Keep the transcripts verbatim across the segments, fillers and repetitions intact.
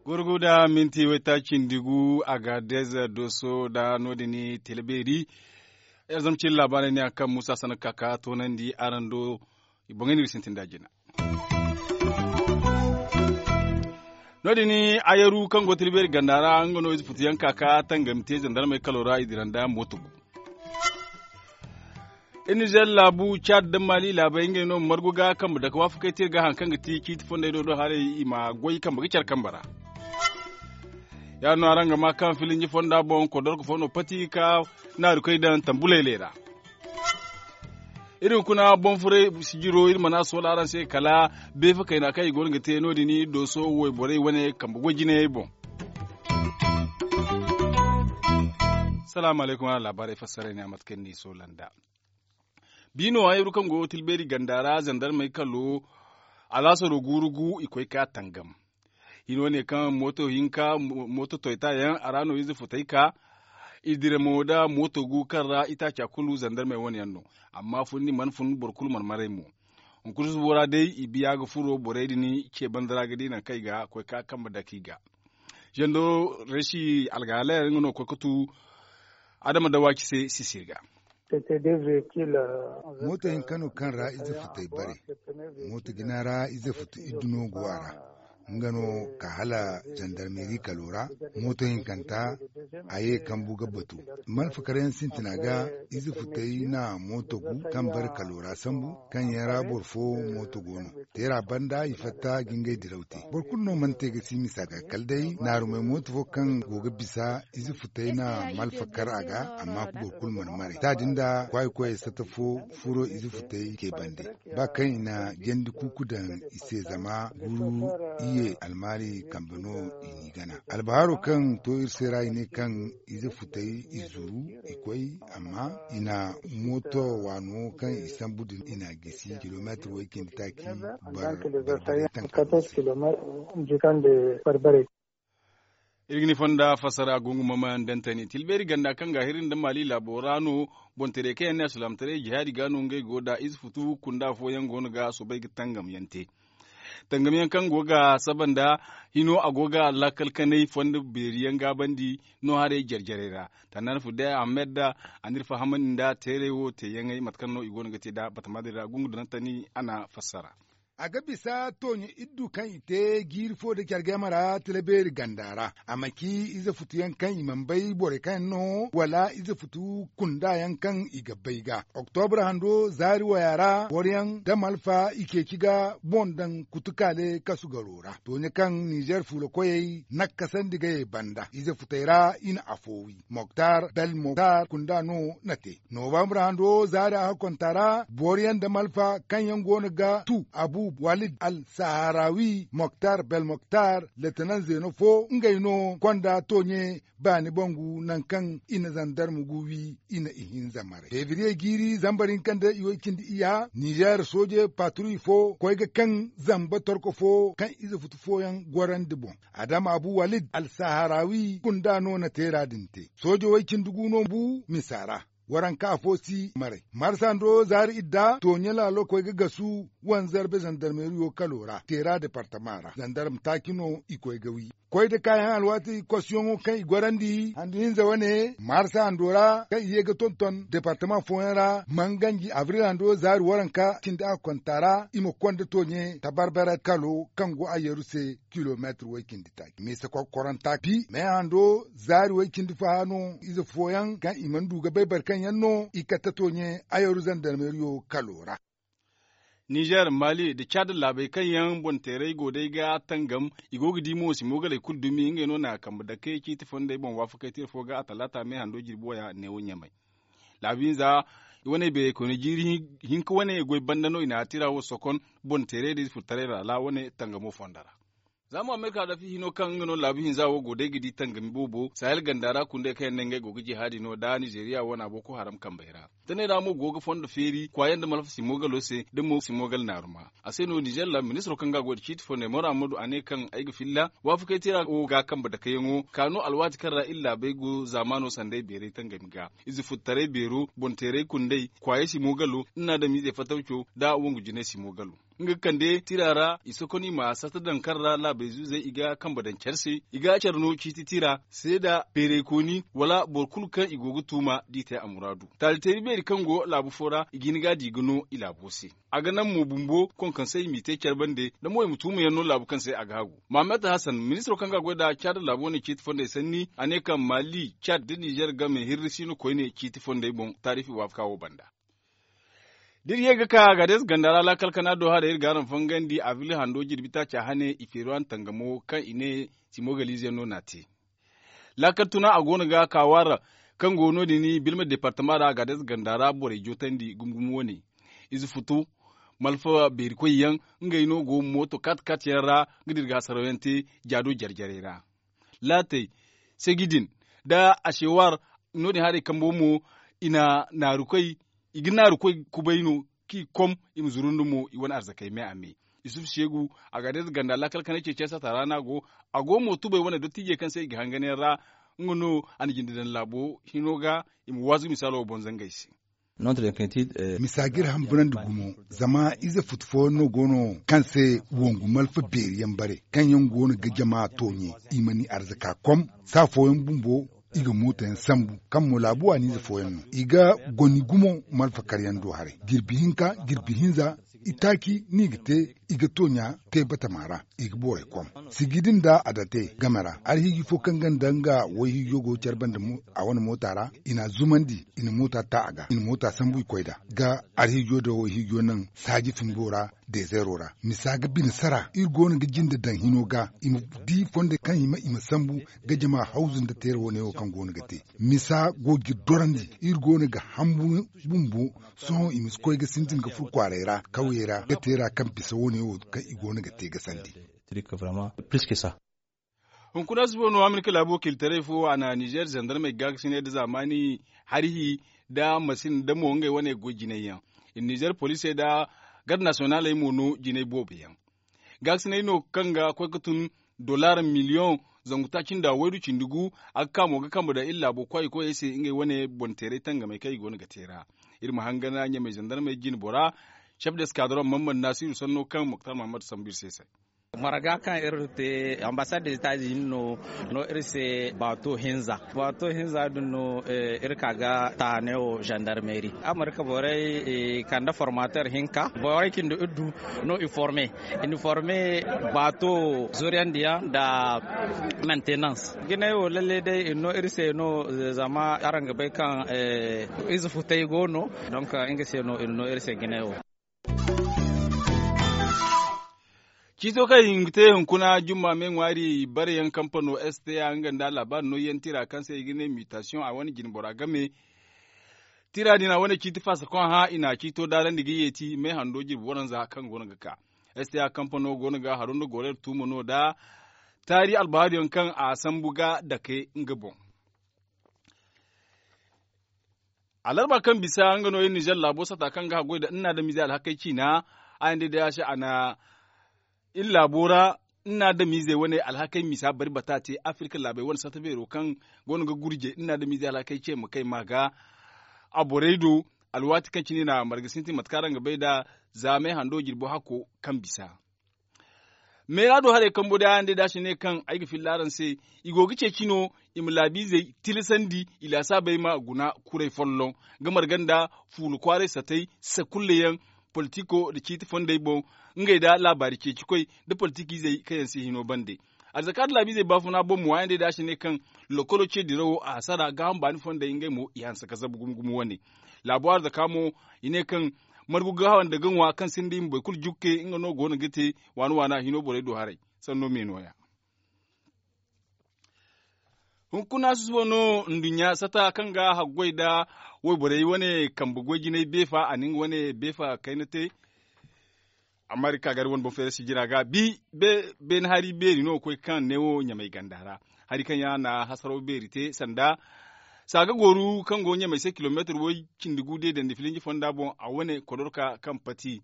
Gurgu da minti wayta cindi gu a ga deza doso da no- din tele beeri. Iri zama cine laabaarey ne a kaŋ muusa sana kaka toonandi araŋ do. I boŋey no iri sintin da jina. No- din, ayaru kaŋ go tele beeri ganda ra nga no ize futu yaŋ kaka tangami te zandarmey kalo ra i dira nda mooto gu. Iri nizer laabu caad nda maali laabey ngey no margu ga kambe dake waafakey te iri ga hari kaŋ ga ti ciiti fondey do do haray i ma goy kambe ga care kambe ra. Ya- din no araŋ ga ma kaŋ filinji fonda boŋ kodorko fo no pati ga ka naaru koy daŋ tambuley leera. Iri hunkuna boŋ furay sijiro iri mana soola araŋ se kala beefa kayna kaŋ i go no ga te no- din dooso wayborey wane kambe goy jinayey boŋ. Salaamu alaykum araŋ laabaarey fassaray ne a mate kaŋ ni soola nda. Biino hayru kaŋ go tilbeeri ganda ra zandarmey kalo alaasaro guuru gu i koy ka tangam. Hino ne kaŋ mooto hinka mooto toyta yaŋ a ra no ize futay ka i dira mo da mooto gu kaŋ ra itaaca kulu zandarmey wane yaŋ no. Amma funni mana fun boro kulu mana maray mo. Hunkuna subo ra day i biya ga furo borey din ce banda ra ga di nangu kaŋ i ga koy ka kambe dake i ga. Zando resi algaala yaŋ nga no ga koy ga tu adama dawaci se sisiri ga. Mooto hinka no kaŋ ra ize futay bare. Mooto jina ra ize futu iddu no go a ra. Nga no ka hala zandarmeri kalo ra. Mooto hinkanta a ye kambu ga batu. Malfakar yaŋ sintina ga ize futay na mooto gu kaŋ bare kalo ra sambu kaŋ yaŋ ra boro fo mooto go no. Teera banda i fatta ga ngey diraw te. Boro kulu no mana te ga si misa ga kala day naarumey mooto fo kaŋ go ga bisa ize futay na malfakar a ga. Amma boro kulu mana maray ta din da kwaayi koyey sata fo furo ize futay ke bande. Ba kaŋ i na jandi kuuku daŋ i se zama guru iye almaari kambe no i n'i gana. Albaharo kaŋ to iri se ra i ne kaŋ ize futay i zuru i koy amma i na mooto waano kaŋ i sambu din i na gisi kilomeetir way cindi taaci. Bar barbarey taŋ kaŋ. Iri ga ni fonda fassara gungu mamayaŋ dantani tilbeeri ganda kaŋ ga hiri nda maali laabo ra no. Boŋ taray kaŋ yaŋ ne alsilaamataray jihaadi ga no ngey go da ize futu kunda fooyaŋ go no ga soobay ga tangam yaŋ te. Tangam yaŋ kaŋ go ga saba nda hino a go ga laakal kanay fondo beeri yaŋ gaabandi no haray jare jarey ra. Tandana fudday ahmed a n'iri fahamandi nda teeray wo te yaŋey mate kaŋ no i go no ga te nda batama din ra gungu dantani a na fassara. A ga bisa tooɲe iddu kaŋ i te jiiri fo nda care game ra tila beeri ganda ra a ma ci ize futuyaŋ kaŋ i mana bay borey kaŋ yaŋ no wala ize futu kunda yaŋ kaŋ i ga bay ga. Oktobra hando zaari waya ra boro yaŋ da malfa i ceeci ga boŋ daŋ kutukaale kasu garo ra tooɲe kaŋ nizer fuula koyey nakkasandi ga ye banda ize futey ra i na afo wi moktar bel moktar kunda no na te. Nobambra hando zaari a hakkonta ra boro yaŋ da malfa kaŋ yaŋ go no ga tu abu walid al saharawi moktar bel moktar letenan zeeno fo ngey no konda tooɲe baani bangu nangu kaŋ i na zandarma gu wi i na ihinza maray febriye jiiri zambar hinka nda iway cindi iya nizer sooje patruy fo koy ga kaŋ zamba torko fo kaŋ ize futu fooyaŋ gorandi boŋ. Adama abu walid al saharawi kunda no na teera din te sooje way cindi gu no bu misa ra. Waranka afo si maray marsa ndo zaari idda tooɲe laalo koy ga gasu wanzarbe zandarmeriyo kalo ra teera departama ra zandarma taaci no i koy ga wi. Koy da kaayaŋ alwaati kosiyoŋo kaŋ i gorandi handu hinza wane marsa hando ra kaŋ i ye ga tonton departama fooyaŋ ra manganji abril hando zaari waranka cindi a ga konta ra i ma konda tooɲe tabarbara kalo kaŋ go a yeru se kilomeetir way cindi taaci misa kokkoranta bi me hando zaari way cindi faha no ize fooyaŋ kaŋ i mana du ga bay boro kaŋ yaŋ no i katta tooɲe a yeru zandarmeriyo kalo ra. Nizer mali nda caada laabey kaŋ yaŋ boŋ teeray go day ga tangam i go ga di mo si moogaley kulu dumi ngey no na kambe dake ciiti fondey boŋ waafakey tira fo ga a talaata me hando jirbi waya neewo ɲamay. Laabu hinza i wane beeray koyne jiiri hinka wane goy banda no i na tira wo sokon boŋ teeray da ize furtaray ra laabo wane tangamo fonda ra. Za mo amerika da fi hino kaŋ nga no laabu hinza wo go day ga di tangami boobo sahel ganda ra kundey kaŋ yaŋ ne ngey go ga jihaadi no da nizeeriya wana boko haram kambey ra. Taney ra mo go ga fondo feeri kwaayaŋ nda malfa simogalo se da mo simogal naaruma. A se no nizer ra ministiro kaŋ ga a goy nda ciiti fondey moro ammadu a ne kaŋ ay ga filla waafakey tira wo ga kambe dakayaŋo ka no alwaati kaŋ ra iri laabey go zaamaano sanday beeray tangami ga ize futtaray beero boŋ teeray kundey kwaayey simogalo nda naadamiizey fatawco nda wongu jinay simogalo. Nga ga kande tira ra i sokoney ma sata daŋ kaŋ ra laabey zuuzey i ga kambe daŋ care se i ga care no ciiti tira seeda beeraykooni wala boro kulu kaŋ i go ga tuuma da i te a muraadu. Taali teeri beeri kaŋ go laabu fo ra i ga hin ga a di ga no i laabo se. A ga naŋ mo bumbo konkansey i m'i te care bande da mo i ma tuumayaŋ no laabu kaŋ se a ga hagu. Mahammad hasan ministiro kaŋ ga a goy nd'a caada laabu wane ciiti fondey sanni a ne kaŋ maali caad nda nizer game hirri siino koyne ciiti fondey boŋ taariifi waafaka wo banda. Da iri ye ga ka gaadez ganda ra laakal kana do haray iri ga araŋ fangandi a fili hando jirbi taaca hane i feeruwan tangamo kaŋ i ne simogaliize no n'a te. Laakal tuna a go no ga ka waara kaŋ go no- din birma deepartama ra gaadez ganda ra borey jootandi gumo gumo wane. Ize futu malfa beeri koy yaŋ ngey no go mooto kat kat yaŋ ra ga dira ga hasarawyaŋ te jaado jare jarey ra. Laatey segi din nda asewaar no- din haray kambo mo i na naaru koy i ga naaru koy kubay no kaŋ i kom i ma zuru nda mo i wane arzakey me a me. Yusuf seegu a ga day nda ganda laakal kanay ceeciyaŋ sata ra no a go. A go mo tubay wane dottiijey kaŋ se i ga hangan yaŋ ra nga no a na jinde daŋ laabo hino ga i ma waazu misaalo boŋ zangey se. Misa ga iri hamburandi gumo zama ize futu fooyaŋ no go no kaŋ se wongu malfa beeri yaŋ bare kaŋ yaŋ go no ga jama tooɲe i mana i arzaka kom saa fooyaŋ bumbo i ga mooto yaŋ sambu kaŋ mo laabu waaniize fooyaŋ no i ga goni gumo malfa karyaŋ do haray jirbi hinka jirbi hinza itaaci no i ga te i ga tooɲa te batama ra i ga borey kom sigi din nda a date game ra alhiiji fo kaŋ ga nda nga wayhiijo go care banda a wane moota ra i n'a zumandi i na moota ta a ga i na moota sambu i koy nd'a ga alhiijo da wayhiijo naŋ saaji fumbo ra dezeero ra misa ga bine sara iri go no ga jinde daŋ hino ga i ma di fondey kaŋ i ma i ma sambu ga jama hawzu nda teera wane wo kaŋ go no ga te misa go ga iri dorandi iri go no ga hambu bumbo sohõ i ma si koy ga sintin ga furo kwaaray ra kawyey ra ga teera kaŋ bisa wane wo kaŋ i go no ga te ga sandi. Hunkuna si boŋ no amerika laabu wakiilitaray fo a na nizer zandarmey gaakasinay nda zaamaani harihi nda masin nda mo ngey wane goy jinay yaŋ. Nizer poliisey nda garde nasiyonaaley mo no jinay boobo yaŋ. Gaakasinay no kaŋ ga koy ga tun dollar miliyoŋ zangu taaci nda waydu cindi gu. A ga ka mo ga kambe daŋ iri laabo kwaay koyey se ngey wane boŋ teeray tangamey kaŋ i go no ga te ra. Iri ma hangan ɲamey zandarmey jine bora cef de eskadron mammad naasiru sanno kaŋ moktar mahammad sambu iri se se. Marga kaŋ iri te ambasad de etazini no no iri se baato hinza baato hinza din no iri ka ga taane wo zandarmeri amerika borey kande formater hinka borey cindi iri du no i forme i na forme baato zuriyandiyaŋ nda maintenance. Jinay wo lalle day iri no iri se no zama araŋ ga bay kaŋ ize futay go no. Donk nga se no iri no iri se jinay wo. Ciito kaŋ i ga te hunkuna jumma me ŋwaari bare yaŋ kampano sta nga nda alaabaari nooyaŋ tira kaŋ se i ga ne mutation a wane jinbora game. Tira din a wane ciiti faasa kaŋ hã i na ciito daarandi ga yeeti me hando jirbi waranza kaŋ go no ga ka. Sta kampano go no ga haro nda goreer tuumo no da taari albahaari yaŋ kaŋ a sambu ga dake nga boŋ. Alarba kaŋ bisa nga no iri nizer laabo sata kaŋ ga haggoy nda nna adamiizey alhakey ciina a yaŋ day day a se a na iri laabo ra nna adamiizey wane alhakey misa bari bata te afirka laabey wane sata beero kaŋ go no ga gurje nna adamiizey alhakey ce ma kay ma ga a borey do. Alwaati kaŋ cine i na marga sintin mate kaŋ araŋ ga bay nd'a za me hando jirbo hakko kaŋ bisa. Meera do haray kambo day a yaŋ day da a si ne kaŋ ay ga filla araŋ se. I go ga ceeci no i ma laabiizey tilasandi i laasaabey ma guna kuray folloŋ ga marga nda fuula kwaaray satay sakulle yaŋ politiko nda ciiti fondey boŋ ngey nda laabaari ceecikoy nda politikiizey kaŋ yaŋ si hino bande. Arzaka nda laabiizey baafuna boŋ mo a yaŋ day da a si ne kaŋ lokolo ce dirawo a hasara gaaham baani fondey ngey mo i hanse ka zabu gumo gumo wane. Laabo arzaka mo i ne kaŋ margu ga hawa nda ga ŋwa kaŋ sinda i ma boro kulu jukke nga no go no ga te waana waana hino borey do haray. Sanno me nooya. Hunkuna susubo no nduɲɲa sata kaŋ ga haggoy nda wayborey wane kambe goy jinay beefa a na nga wane beefa kayna te. Amma iri ga ka gari wane boŋ feere sijira ga bi beene hari beeri no ga koy kaŋ ne wo ɲamay ganda ra. Hari kaŋ yaŋ a na hasaraw beeri te sanda saaga gooru kaŋ go ɲamay se kilomeetir way cindi gu de dandi filinji fonda boŋ a wane kodorka kaŋ pati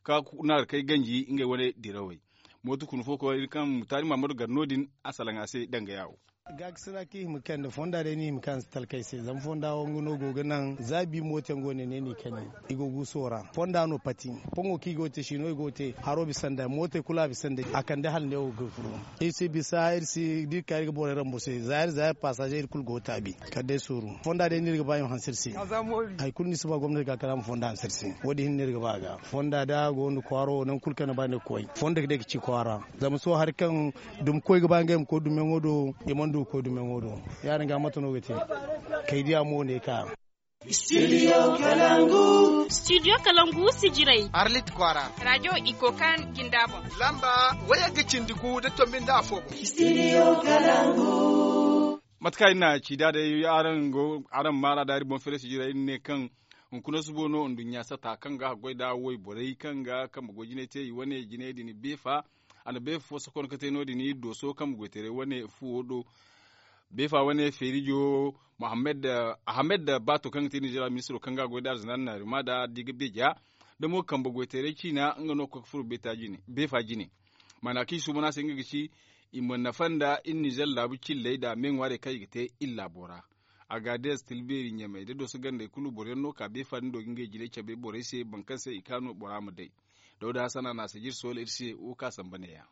ka naarkey ganji ngey wane dirawey. Mooto kuna fo koy iri kaŋ mutaari maamadu gar no- din a salaŋ a se danga yaawo. Gaakasina kaŋ i hima kande fonda day no i hima kaŋ talkey se zama fonda wo nga no go ga naŋ za bi mooto yaŋ go ne ne no i kani. I go guuso ra fonda no pati. Fongo kaŋ i go ga te siino i go ga te haro bisa nda mootey kulu a bisa nda a kande hala ne wo ga furo. Iri si bisa iri si da iri ka iri ga borey ramburse zaayir zaayir pasaze iri kulu go ga taabi. Kala day sooru fonda day no iri ga ba i ma hanse iri se. Hari kulu no iri si ba gomnati ga kala a ma fonda hanse iri se. Wo- din hinne no iri ga ba a ga fonda da a go nda kwaaro wo nangu kulu kaŋ ni ba ni ga koy fonda day ga ci kwaara. Zama sohõ hari kaŋ dumi koy ga ba ngey ma koy dumiyaŋo do i mana du ga koy dumiyaŋo do. Ya- din ga mate no ga te kay diya mo ne ka. Studio kalangu. Studio kalangu sijiray arlit kwaara. Rajo iko kan jinda boŋ. Lamba waya ga cindi gu da tombi nda afo boŋ. Studio kalangu. Mate kaŋ iri na ci da day araŋ go araŋ maara da iri boŋ feere sijiray iri ne kaŋ hunkuna subo no nduɲɲa sata kaŋ ga haggoy nda wayborey kaŋ ga kambe goy jinay te i wane jinay din beefa. A na beefa fo sokon ga te no- din dooso kambe goytaray wane fuwo do. Beefa wane feerijo ahamed baato kaŋ ga te ninzeer ministiro kaŋ ga goy nda arzina naarima nda diga beeja. Da mo kambe goytaray ciina nga no ga koy ga furo beefa jine. Maana kaŋ i suuban a se nga ga ci i ma nafa nda iri ninzeer laabu cilley nda me ŋwaarey kaŋ i ga te iri laabo ra. Agaadez tilbeeri ɲamey da dooso gandey kulu boro yaŋ no ka beefa din do ga ngey jinay cabe borey se boro kaŋ se i kaanu bora ma day. Dawda hasana na a sijir soola iri se wo kaŋ a samba neeya.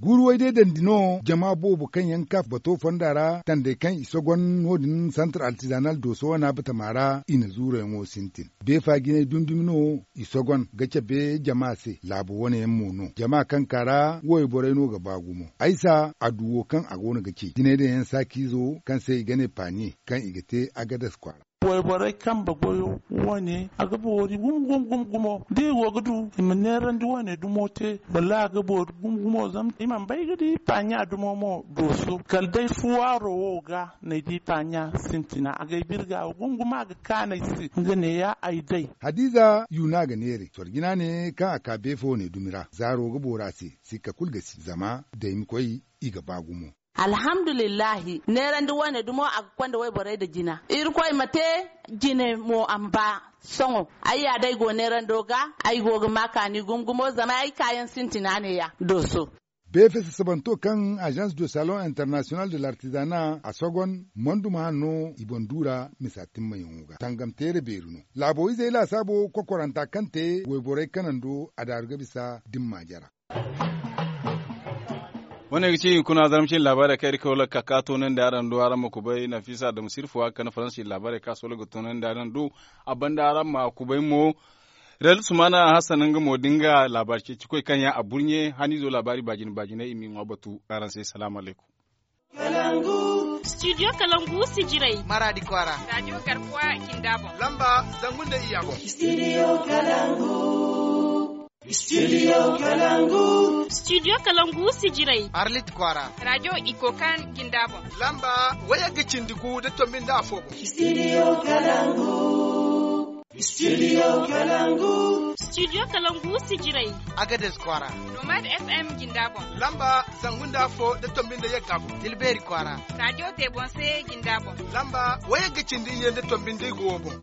Guuru way day dandi no jama boobo kaŋ yaŋ ka bato fonda ra tandey kaŋ i sogon no- din santar altizanal dooso wana batama ra i na zuurayaŋo sintin. Beefa jinay dumi dumi no i sogon ga cabe jama se laabo wane yaŋ mo no jama kaŋ ka ra wayborey no ga ba gumo aysa a du wo kaŋ a go no ga ce jinay daŋ yaŋ saakiizo kaŋ se i ga ne paaniye kaŋ i ga te agadas kwaara. Wayborey kambe goyo wane a ga boori gumo gumo gumo gumo da i go ga du i ma neerandi wane dumo te wallaahi a ga boori gumo gumo zama i mana bay ga di paaniya dumo mo dooso kala day fuwaaro wo ga n'ay di paaniya sintina a g'ay birga gumo gumo a ga kaanu ay se nga neeya ay day. Hadiiza yuuna ga neeray sorjina ne kaŋ a ka beefo ne dumi ra zaaro ga boori a se sikka kulu ga si zama daymi koy i ga ba gumo. Alhamdulillahi neerandi wane dumo a ga konda wayborey nda jina irkoy ma te jine mo a ma ba. Sohõ ay ya day go neerando ga ay go ga ma kaani gumo gumo zama ay kaayaŋ sintina ne ya dooso. Beefe sasabanto kaŋ agence de salon international de l'artisanat a sogon manduma hanno i boŋ duura misa timmayaŋo ga tangamteere beeri no. Laabo izey laasaabo kokoranta kaŋ te wayborey kanando a daaru ga bisa dimma jara. Wane ga ci hunkuna zarma cine laabaarey kaŋ iri kawla ka ka toonandi araŋ do araŋ ma kubay nafisa adamu sirfuwa kaŋ na faransi laabaarey kaŋ a solo ga toonandi araŋ do. A banda araŋ ma kubay mo. Rel sumana hassan nga mo da nga laabaari ceeci koy kaŋ yaŋ a burɲe haniizo laabaari baajine baajiney i m'i ŋwa batu araŋ se salaamu alaykum. Studio kalangu sijiray maradi kwaara radio garkuwa jinda boŋ lamba zangu nda iyya boŋ. Studio kalangu. Studio kalangu. Studio kalangu sijiray arlit kwaara radio iko kan jinda boŋ lamba waya ga cindi gu da tombi nda afo boŋ. Studio kalangu. Studio kalangu. Studio kalangu sijiray agades kwaara nomad fm jinda boŋ lamba zangu nda afo da tombi nda yagga boŋ tilbeeri kwaara radio te boŋ se jinda boŋ lamba waya ga cindi iyye nda tombi nda igo boŋ.